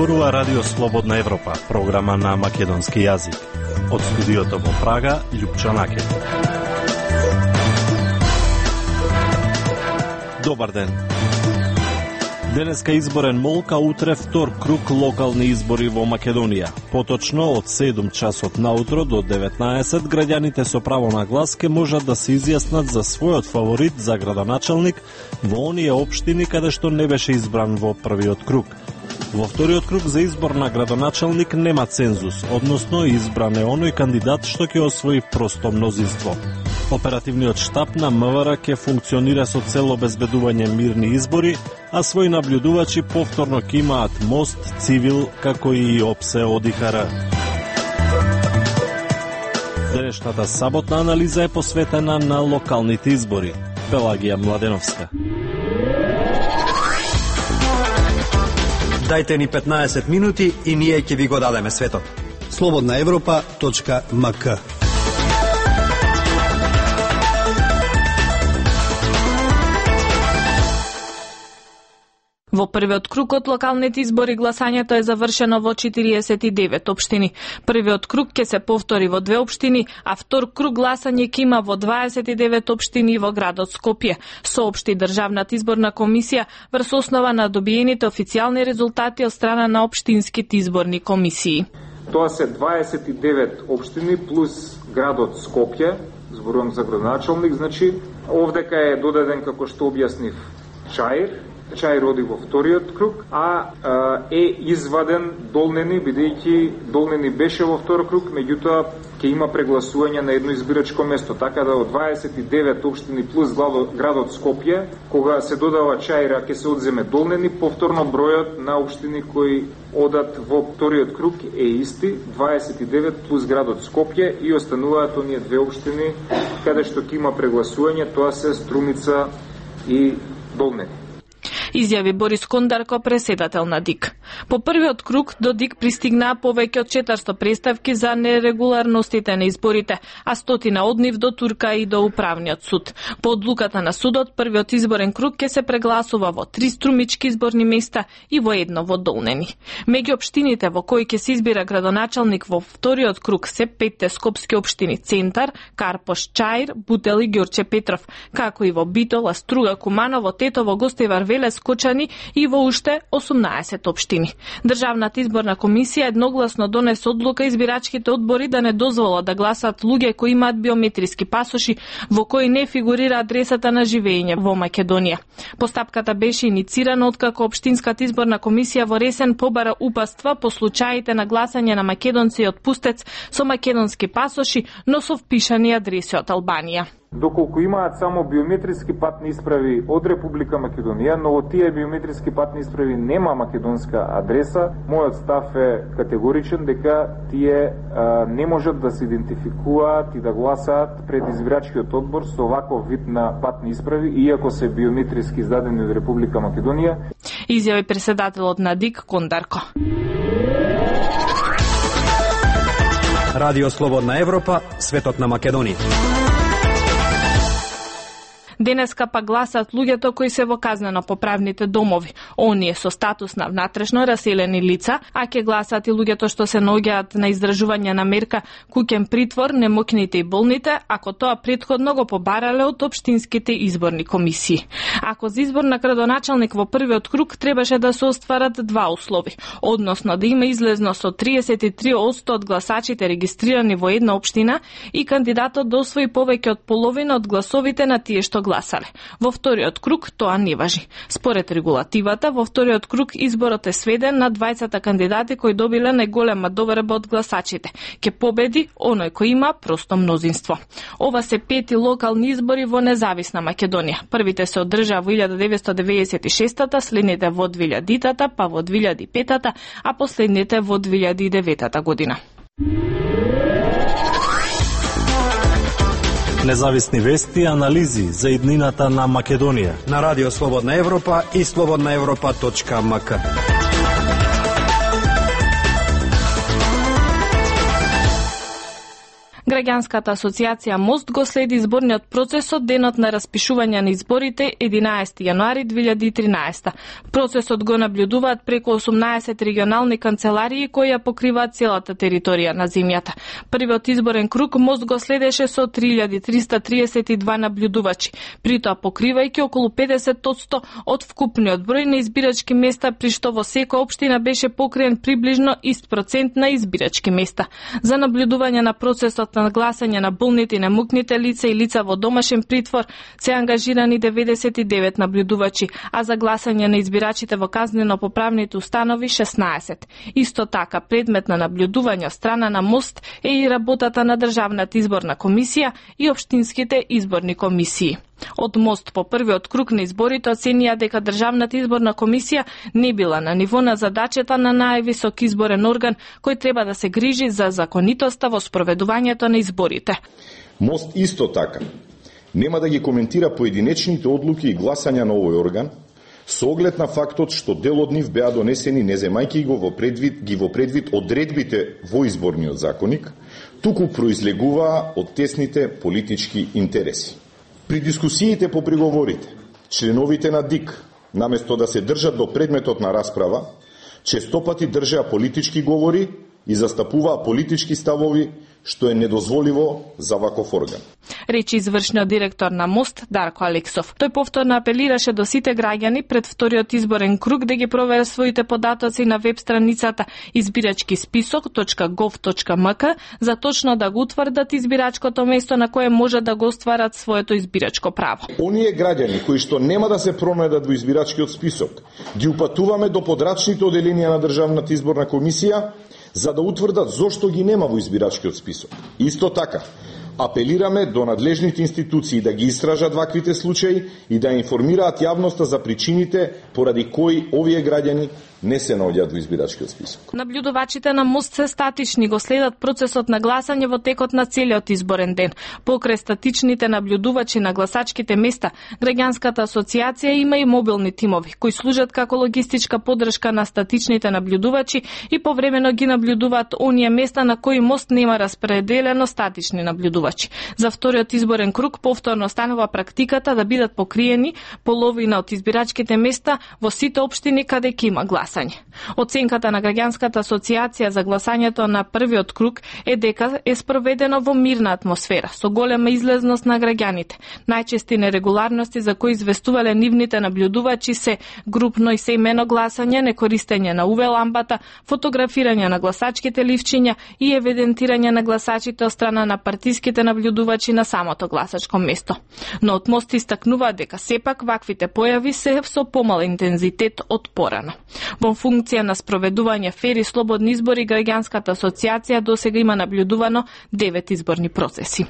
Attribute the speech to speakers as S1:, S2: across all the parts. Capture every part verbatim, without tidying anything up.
S1: зборува Радио Слободна Европа, програма на македонски јазик. Од студиото во Прага, Љупчо Накет. Добар ден. Денеска изборен молк, а утре втор круг локални избори во Македонија. Поточно, од седум часот наутро до деветнаесет, граѓаните со право на глас ке можат да се изјаснат за својот фаворит за градоначалник во оние општини каде што не беше избран во првиот круг. Во вториот круг за избор на градоначалник нема цензус, односно избран е оној кандидат што ќе освои просто мнозинство. Оперативниот штаб на МВР ќе функционира со цел обезбедување мирни избори, а своји наблюдувачи повторно ќе имаат МОСТ, Цивил, како и ОПСЕ од ИХР. Денешната саботна анализа е посветена на локалните избори. Пелагија Младеновска.
S2: Дајте ни петнаесет минути и ние ќе ви го дадеме светот.
S3: слободна европа точка ем ка.
S4: Во првиот круг од локалните избори гласањето е завршено во четириесет и девет општини. Првиот круг ќе се повтори во две општини, а втор круг гласање ќе има во дваесет и девет општини во градот Скопје, соопшти Државната изборна комисија врз основа на добиените официјални резултати од страна на општинските изборни комисии.
S5: Тоа се дваесет и девет општини плюс градот Скопје, зборувам за градоначалник, значи овдека е додаден, како што објаснив, Чаир. Чаир роди во вториот круг, а е изваден Долнени, бидејќи Долнени беше во втор круг, меѓутоа ќе има прегласување на едно избирачко место, така да од дваесет и девет општини плюс градот Скопје, кога се додава Чаира, ќе се одземе Долнени, повторно бројот на општини кои одат во вториот круг е исти, дваесет и девет плюс градот Скопје, и остануваат оние две општини каде што ќе има прегласување, тоа се Струмица и Долнени.
S4: Изјави Борис Кондарко, преседател на ДИК. По првиот круг до ДИК пристигнаа повеќе од четиристо представки за нерегуларностите на изборите, а стотина од нив до Турка и до Управниот суд. По одлуката на судот, првиот изборен круг ќе се прегласува во три струмички изборни места и во едно во Долнени. Меѓу општините во кои ќе се избира градоначалник во вториот круг се петте скопски општини: Центар, Карпош, Чаир, Бутел и Ѓорче Петров, како и во Битола, Струга, Куманово, Тетово, Гостивар, Велес, Кочани и во уште осумнаесет општини. Државната изборна комисија едногласно донесе одлука избирачките одбори да не дозволат да гласат луѓе кои имаат биометриски пасоши во кои не фигурира адресата на живење во Македонија. Постапката беше иницирана откако општинската изборна комисија во Ресен побара упатства по случаите на гласање на македонци од Пустец со македонски пасоши, но со впишани адреси од Албанија.
S5: Доколку имаат само биометриски патни исправи од Република Македонија, но од тие биометриски патни исправи нема македонска адреса, мојот став е категоричен дека тие а, не можат да се идентификуваат и да гласаат пред избирачкиот одбор со ваков вид на патни исправи, иако се биометриски издадени од Република Македонија.
S4: Изјави преседателот на ДИК Кондарко.
S2: Радио Слободна Европа, светот на Македонија.
S4: Денеска па гласат луѓето кои се во казнено-поправните домови, оние со статус на внатрешно раселени лица, а ќе гласат и луѓето што се наоѓаат на издржување на мерка куќен притвор, немокните и болните, ако тоа претходно го побарале од општинските изборни комисии. Ако за избор на градоначалник во првиот круг требаше да се остварат два услови, односно да има излезно со триесет и три одсто од гласачите регистрирани во една општина и кандидатот да освои повеќе од половина од гласовите на тие што гласале. Во вториот круг тоа не важи. Според регулативата, во вториот круг изборот е сведен на двајцата кандидати кои добиле најголема доверба од гласачите. Ке победи оној кој има просто мнозинство. Ова се пети локални избори во независна Македонија. Првите се одржаа во илјада деветстотини деведесет и шеста, следните во двилјадитата, па во двилјади и петата, а последните во двилјади и деветата година.
S1: Независни вести и анализи за иднината на Македонија
S2: на Радио Слободна Европа и слободна европа точка ем ка.
S4: Граѓанската асоциација Мост го следи изборниот процес од денот на распишување на изборите единаесети јануари две илјади и тринаесета. Процесот го наблюдуваат преку осумнаесет регионални канцеларии кои ја покриваат целата територија на земјата. Првиот изборен круг Мост го следеше со три илјади триста триесет и два наблюдувачи, при тоа покривајќи околу педесет одсто од вкупниот број на избирачки места, при што во секоја општина беше покриен приближно ист процент на избирачки места. За наблюдување на процесот на гласање на болните и немокните лица и лица во домашен притвор се ангажирани деветдесет и девет наблюдувачи, а за гласање на избирачите во казнено-поправните установи шеснаесет. Исто така, предмет на наблюдување од страна на Мост е и работата на Државната изборна комисија и општинските изборни комисии. Од Мост по првиот круг на изборите оценија дека Државната изборна комисија не била на ниво на задачата на највисок изборен орган кој треба да се грижи за законитоста во спроведувањето на изборите.
S6: Мост исто така нема да ги коментира поединечните одлуки и гласања на овој орган, со оглед на фактот што дел од нив беа донесени не земајќи го во предвид, ги во предвид одредбите во изборниот законник, туку произлегуваа од тесните политички интереси. При дискусиите по приговорите, членовите на ДИК, наместо да се држат до предметот на расправа, честопати држеа политички говори и застапуваа политички ставови, што е недозволиво за ваков орган.
S4: Речи извршниот директор на Мост Дарко Алексов. Тој повторно апелираше до сите граѓани пред вториот изборен круг да ги проверат своите податоци на веб страницата избирачки список точка гов точка мк за точно да го утврдат избирачкото место на кое може да го остварат своето избирачко право.
S6: Оние граѓани кои што нема да се пронајдат во избирачкиот список, ги упатуваме до подрачните оделенија на Државната изборна комисија за да утврдат зошто ги нема во избирачкиот список. Исто така, апелираме до надлежните институции да ги истражат ваквите случаи и да информираат јавноста за причините поради кои овие граѓани не се наоѓаат во избирачкиот список.
S4: Наблюдувачите на Мост се статични, го следат процесот на гласање во текот на целиот изборен ден. Покрај статичните наблюдувачи на гласачките места, Граѓанската асоциација има и мобилни тимови кои служат како логистичка поддршка на статичните наблюдувачи и повремено ги наблюдуваат оние места на кои Мост нема распределено статични наблюдувачи. За вториот изборен круг повторно станува практиката да бидат покриени половина од избирачките места во сите општини каде ќе има глас. Оценката на Граѓанската асоциација за гласањето на првиот круг е дека е спроведено во мирна атмосфера, со голема излезност на граѓаните. Најчести нерегуларности за кои известувале нивните наблюдувачи се групно и семено гласање, некористење на УВ лампата, фотографирање на гласачките ливчиња и евидентирање на гласачите од страна на партиските наблюдувачи на самото гласачко место. Но од Мост истакнува дека сепак ваквите појави се со помал интензитет од порано. Во функција на спроведување фер и слободни избори, Граѓанската асоциација досега има наблюдувано девет изборни процеси.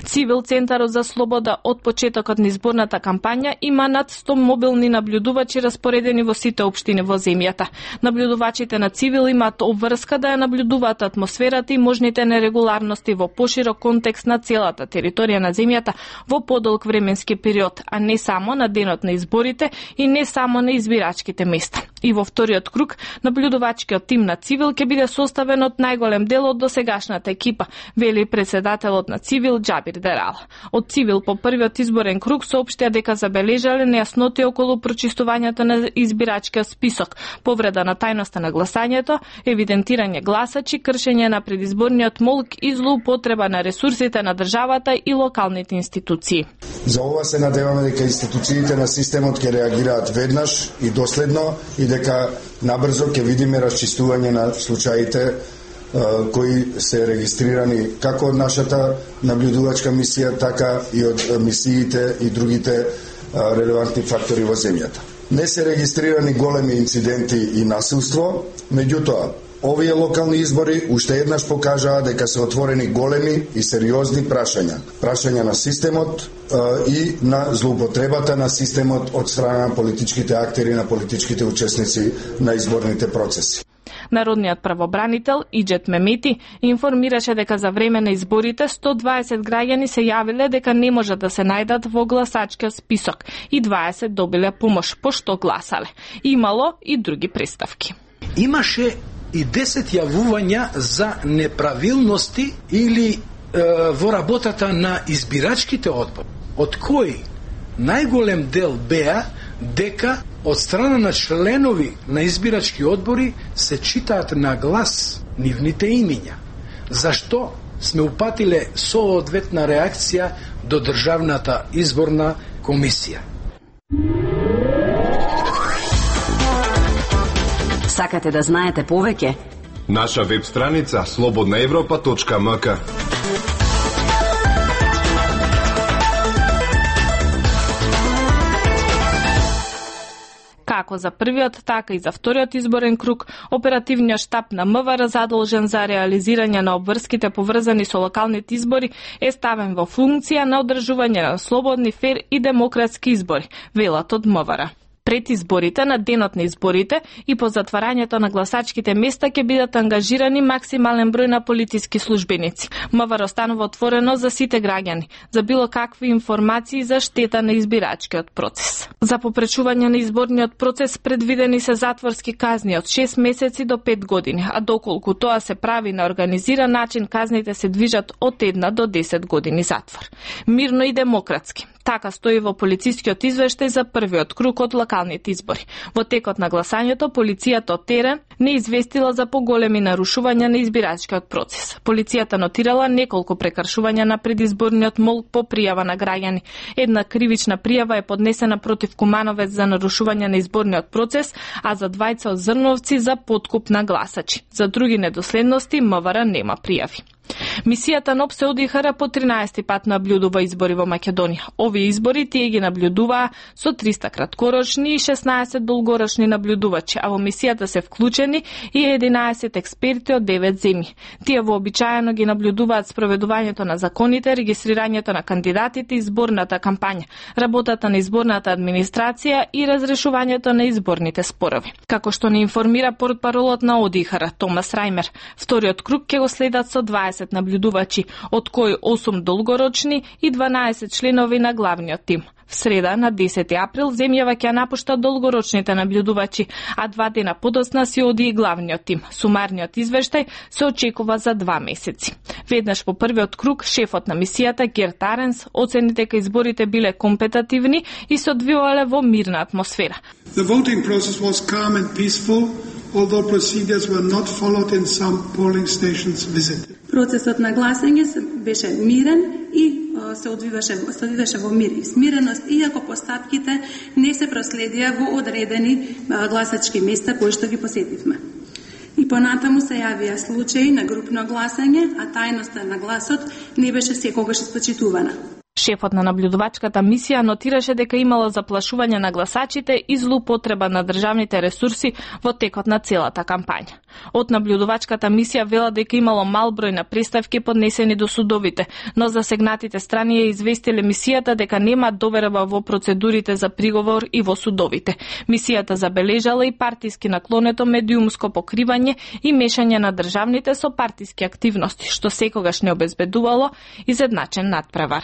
S4: Цивил Центарот за слобода од почетокот на изборната кампања има над сто мобилни наблюдувачи распоредени во сите општини во земјата. Наблюдувачите на Цивил имаат обврска да ја наблюдуваат атмосферата и можните нерегуларности во поширок контекст на целата територија на земјата во подолг временски период, а не само на денот на изборите и не само на избирачките места. И во вториот круг, наблюдувачкиот тим на Цивил ќе биде составен од најголем дел од досегашната екипа, вели председателот на Цивил Џабир Дерал. Од Цивил по првиот изборен круг соопштија дека забележале нејасноти околу прочистувањето на избирачкиот список, повреда на тајноста на гласањето, евидентирање гласачи, кршење на предизборниот молк и злоупотреба на ресурсите на државата и локалните институции.
S7: За ова се надеваме дека институциите на системот ќе реагираат веднаш и доследно и дека набрзо ќе видиме расчистување на случаите кои се регистрирани како од нашата наблюдувачка мисија, така и од мисиите и другите релевантни фактори во земјата. Не се регистрирани големи инциденти и насилство, меѓутоа, овие локални избори уште еднаш покажаа дека се отворени големи и сериозни прашања. Прашања на системот и на злоупотребата на системот од страна на политичките актери, на политичките учесници на изборните процеси.
S4: Народниот правобранител Иџет Мемети информираше дека за време на изборите сто дваесет граѓани се јавиле дека не можат да се најдат во гласачкиот список и дваесет добиле помош пошто гласале. Имало и други представки.
S8: Имаше и десет јавувања за неправилности или во работата на избирачките одбори, од кои најголем дел беа дека од страна на членови на избирачки одбори се читаат на глас нивните имиња. Зашто сме упатиле соодветна реакција до Државната изборна комисија.
S9: Сакате да знаете повеќе?
S10: Наша веб страница слободна европа точка м к.
S4: Како за првиот, така и за вториот изборен круг, оперативниот штаб на М В Р задолжен за реализирање на обврските поврзани со локалните избори е ставен во функција на одржување на слободни, фер и демократски избори, велат од М В Р. Пред изборите, на денот на изборите и по затварањето на гласачките места ќе бидат ангажирани максимален број на полициски службеници. М В Р останува отворено за сите граѓани, за било какви информации за штета на избирачкиот процес. За попречување на изборниот процес предвидени се затворски казни од шест месеци до пет години, а доколку тоа се прави на организиран начин, казните се движат од една до десет години затвор. Мирно и демократски. Така стои во полицискиот извештај за првиот круг од локалните избори. Во текот на гласањето, полицијата од терен не известила за поголеми нарушувања на избирачкиот процес. Полицијата нотирала неколку прекршувања на предизборниот молк по пријава на граѓани. Една кривична пријава е поднесена против Кумановец за нарушување на изборниот процес, а за двајца од Зрновци за подкуп на гласачи. За други недоследности М В Р нема пријави. Мисијата НОП се одихара по тринаесети пат наблюдува избори во Македонија. Овие избори тие ги наблюдуваа со триста краткорочни и шеснаесет долгорочни наблюдувачи, а во мисијата се вклучени и единаесет експерти од девет земји. Тие вообичаено ги наблюдуваат спроведувањето на законите, регистрирањето на кандидатите, изборната кампања, работата на изборната администрација и разрешувањето на изборните спорови. Како што не информира портпаролот на ОДИХР Томас Рајмер, вториот круг ќе го следат со дваесет наблюдувачи, од кои осум долгорочни и дванаесет членови на главниот тим. В среда, на десети април, земјава ќе напушта долгорочните наблюдувачи, а два дена подоцна си оди и главниот тим. Сумарниот извештај се очекува за два месеци. Веднаш по првиот круг, шефот на мисијата Герт Аренс оцени дека изборите биле компетативни и се одвивале во мирна атмосфера.
S11: The voting process was calm and peaceful, although procedures were not followed in some polling stations visited.
S12: Процесот на гласање беше мирен и се одвиваше, се одвиваше во мир и смиреност, иако постапките не се проследија во одредени гласачки места кои што ги посетивме. И понатаму се јавија случаи на групно гласање, а тајноста на гласот не беше секогаш испочитувана.
S4: Шефот на наблюдувачката мисија нотираше дека имало заплашување на гласачите и злоупотреба на државните ресурси во текот на целата кампања. Од наблюдувачката мисија вела дека имало мал број на преставки поднесени до судовите, но засегнатите страни ја известиле мисијата дека нема доверба во процедурите за приговор и во судовите. Мисијата забележала и партиски наклонето медиумско покривање и мешање на државните со партиски активности, што секогаш не обезбедувало изедначен надпревар.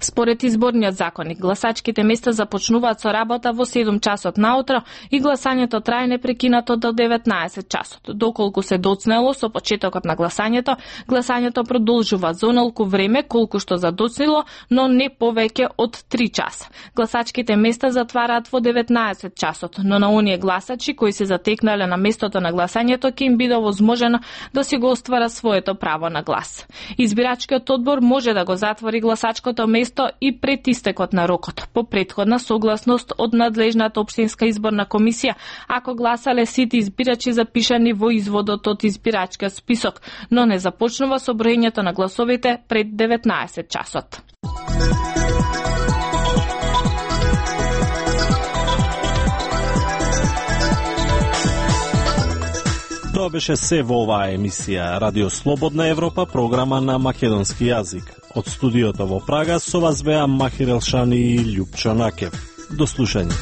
S4: Според изборниот законник, гласачките места започнуваат со работа во седум часот наутро и гласањето трае непрекинато до деветнаесет часот. Доколку се доцнело со почетокот на гласањето, гласањето продолжува за онолку време колку што задоцнило, но не повеќе од три часа. Гласачките места затвараат во деветнаесет часот, но на оние гласачи кои се затекнале на местото на гласањето ќе им биде возможено да си го оствара своето право на глас. Избирачкиот одбор може да го затвори гласачкото место и пред истекот на рокот, по претходна согласност од надлежната општинска изборна комисија, ако гласале сите избирачи запишани во изводот од избирачкиот список, но не започнува со броењето на гласовите пред деветнаесет часот.
S1: Тоа беше се во оваа емисија Радио Слободна Европа, програма на македонски јазик. Од студиото во Прага со вас беа Махир Елшани и Љупчо Накев. До слушање.